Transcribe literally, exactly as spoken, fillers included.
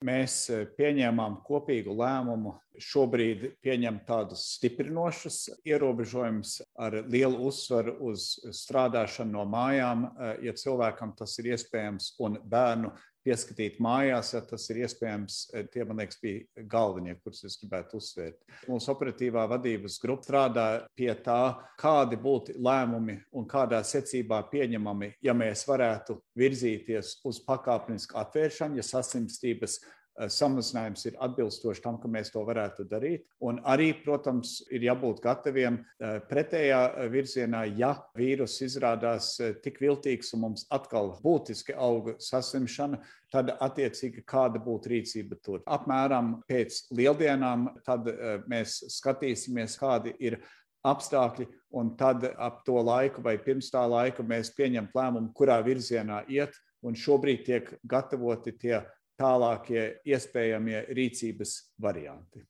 Mēs pieņēmām kopīgu lēmumu šobrīd pieņemt tādus stiprinošus ierobežojumus ar lielu uzsvaru uz strādāšanu no mājām, ja cilvēkam tas ir iespējams, un bērnu pieskatīt mājās, ja tas ir iespējams. Tie, man liekas, bija galvenie, kurus es gribētu uzsvērt. Mūsu operatīvā vadības grupa strādā pie tā, kādi būtu lēmumi un kādā secībā pieņemami, ja mēs varētu virzīties uz pakāpenisku atvēršanu, ja saslimstības samazinājums ir atbilstoši tam, ka mēs to varētu darīt. Un arī, protams, ir jābūt gataviem pretējā virzienā, ja vīrus izrādās tik viltīgs un mums atkal būtiski auga saslimšana, tad attiecīgi kāda būtu rīcība tur. Apmēram pēc lieldienām tad mēs skatīsimies, kādi ir apstākļi, un tad ap to laiku vai pirms tā laika mēs pieņemt lēmumu, kurā virzienā iet, un šobrīd tiek gatavoti tie tālākie iespējamie rīcības varianti.